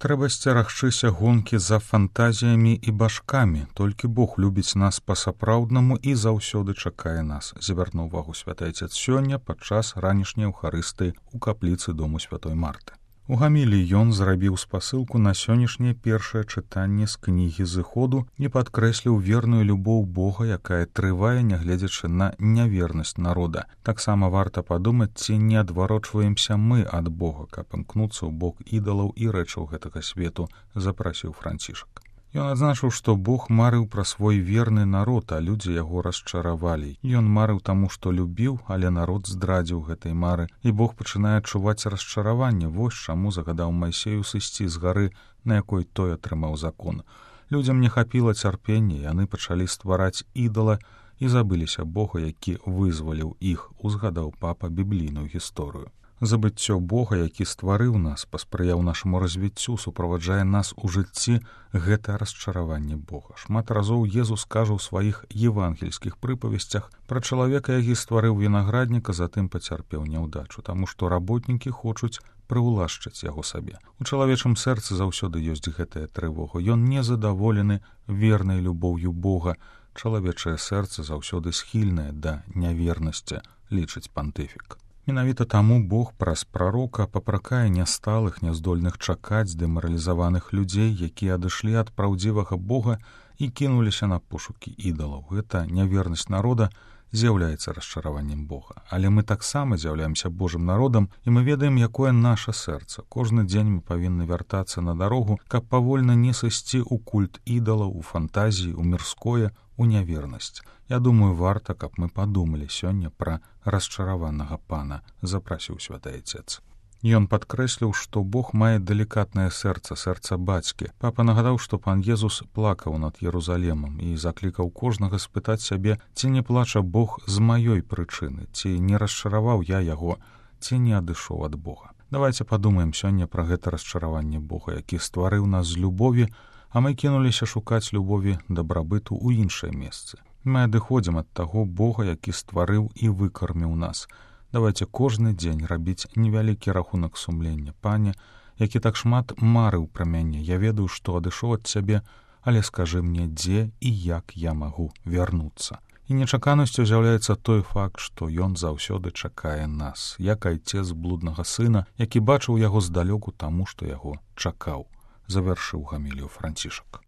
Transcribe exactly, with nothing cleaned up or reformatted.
Трэба сцерагчыся гонкі за фантазіямі і башкамі. Толькі Бог любіць нас па-сапраўднаму і заўсёды чакае нас. Звярнуў увагу святы Айцец сёння падчас ранішняй эўхарыстыі ў капліцы дому святой Марты. У гаміліі ён зрабіў спасылку на сённяшняе першае чытанне з кнігі Зыходу і падкрэсліў верную любоў Бога, якая трывае, нягледзячы на нявернасць народа. Таксама варта падумаць, ці не адварочваемся мы ад Бога, каб імкнуцца ў бок ідалаў і рэчаў гэтага свету, запрасіў Францішак. Ён адзначыў, што Бог марыў пра свой верны народ, а людзі яго расчаравалі. Ён марыў таму, што любіў, але народ здрадзіў гэтай мары, і Бог пачынае адчуваць расчараванне. Вось чаму загадаў Майсею сысці з гары, на якой той атрымаў закон. Людзям не хапіла цярпення, яны пачалі ствараць ідала і забыліся Бога, які вызваліў іх, узгадаў папа біблійную гісторыю. Забыццё Бога, які стварыў нас, паспрыяў нашаму развіццю, суправаджае нас у жыцці, гэта расчараванне Бога. Шмат разоў Езус кажа ў сваіх евангельскіх прыпавесцях пра чалавека, які стварыў вінаградніка, затым пацярпеў няўдачу, таму што работнікі хочуць прыўлашчыць яго сабе. У чалавечым сэрцы заўсёды ёсць гэтая трывога. Ён незадаволены вернай любоўю Бога. Чалавечае сэрца заўсёды схільнае да нявернасці, лічыць пантыфік. Менавіта таму Бог праз прарока папракае нясталых, няздольных чакаць, дэмаралізаваных людзей, якія адышлі ад праўдзівага Бога і кінуліся на пошукі ідалаў. Гэта нявернасць народа з'яўляецца расчараваннем Бога. Але мы таксама з'яўляемся Божым народам, і мы ведаем, якое наша сэрца. Кожны дзень мы павінны вяртацца на дарогу, каб павольна не сысці ў культ ідалаў, у фантазіі, у мірское, у нявернасць. Я думаю, варта, каб мы падумалі сёння пра расчараванага пана, запрасіў святы Айцец. Ён падкрэсліў, што Бог мае далікатнае сэрца, сэрца бацькі. Папа нагадаў, што пан Езус плакаў над Єрусалемам і заклікаў кожнага спытаць сябе, ці не плача Бог з маёй прычыны, ці не расчараваў я яго, ці не адышоў ад Бога. Давайце падумаем сёння пра гэта расчараванне Бога, які стварыў нас з любові, а мы кінуліся шукаць любові, дабрабыту ў іншае месцы. Мы адыходзім ад таго Бога, які стварыў і выкарміў нас. Давайце кожны дзень рабіць невялікі рахунак сумлення. Пане, які так шмат марыў пра мяне, я ведаю, што адышоў ад цябе, але скажы мне, дзе і як я магу вярнуцца. І нечаканасцю з'яўляецца той факт, што ён заўсёды чакае нас, як айцец блуднага сына, які бачыў яго здалёку таму, што яго чакаў. Завяршыў гамілію Францішак.